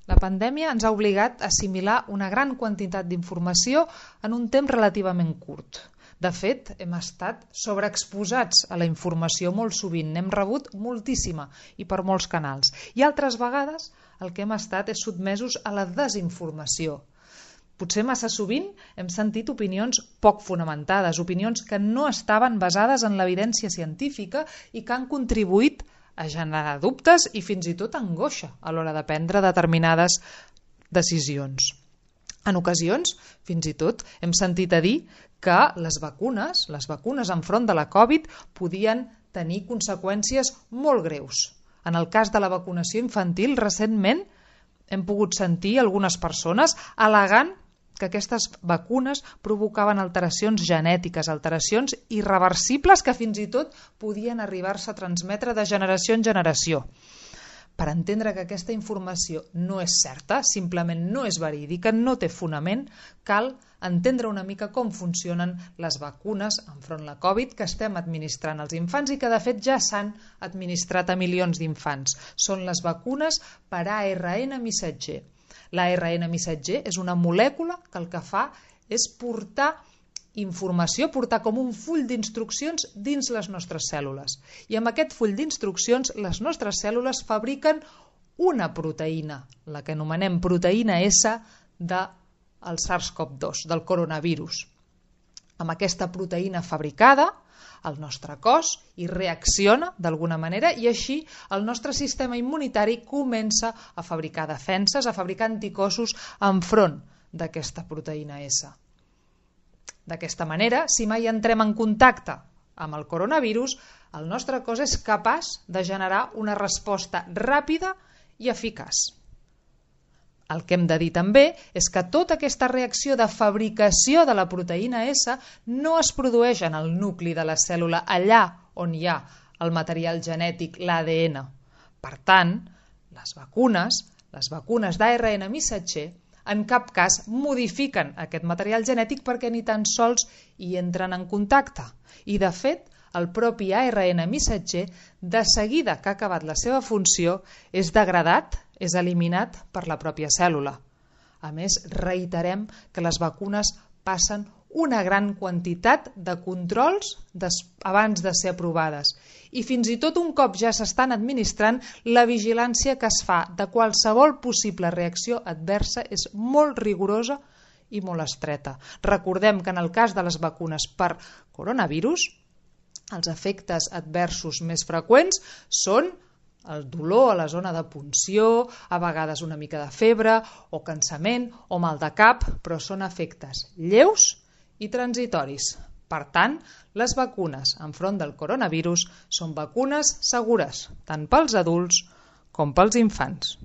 La pandèmia ens ha obligat a assimilar una gran quantitat d'informació en un temps relativament curt. De fet, hem estat sobreexposats a la informació molt sovint, n'hem rebut moltíssima i per molts canals. I altres vegades el que hem estat és sotmesos a la desinformació. Potser massa sovint hem sentit opinions poc fonamentades, opinions que no estaven basades en l'evidència científica i que han contribuït a generar dubtes i fins i tot angoixa a l'hora de prendre determinades decisions. En ocasions, fins i tot, hem sentit a dir que les vacunes enfront de la Covid podien tenir conseqüències molt greus. En el cas de la vacunació infantil, recentment hem pogut sentir algunes persones al·legant que aquestes vacunes provocaven alteracions genètiques, alteracions irreversibles que fins i tot podien arribar-se a transmetre de generació en generació. Per entendre que aquesta informació no és certa, simplement no és verídica, no té fonament, cal entendre una mica com funcionen les vacunes enfront la Covid que estem administrant als infants i que de fet ja s'han administrat a milions d'infants. Són les vacunes per ARN missatger. L'ARN missatger és una molècula que el que fa és portar informació, portar com un full d'instruccions dins les nostres cèl·lules. I amb aquest full d'instruccions les nostres cèl·lules fabriquen una proteïna, la que anomenem proteïna S del SARS-CoV-2, del coronavirus. Amb aquesta proteïna fabricada, el nostre cos hi reacciona d'alguna manera i així el nostre sistema immunitari comença a fabricar defenses, a fabricar anticossos enfront d'aquesta proteïna S. D'aquesta manera, si mai entrem en contacte amb el coronavirus, el nostre cos és capaç de generar una resposta ràpida i eficaç. El que hem de dir també és que tota aquesta reacció de fabricació de la proteïna S no es produeix en el nucli de la cèl·lula, allà on hi ha el material genètic, l'ADN. Per tant, les vacunes d'ARN missatger, en cap cas modifiquen aquest material genètic perquè ni tan sols hi entren en contacte. I de fet, el propi ARN missatger, de seguida que ha acabat la seva funció, és degradat, és eliminat per la pròpia cèl·lula. A més, reiterem que les vacunes passen una gran quantitat de controls abans de ser aprovades. I fins i tot un cop ja s'estan administrant, la vigilància que es fa de qualsevol possible reacció adversa és molt rigorosa i molt estreta. Recordem que en el cas de les vacunes per coronavirus, els efectes adversos més freqüents són el dolor a la zona de punció, a vegades una mica de febre o cansament o mal de cap, però són efectes lleus i transitoris. Per tant, les vacunes enfront del coronavirus són vacunes segures, tant pels adults com pels infants.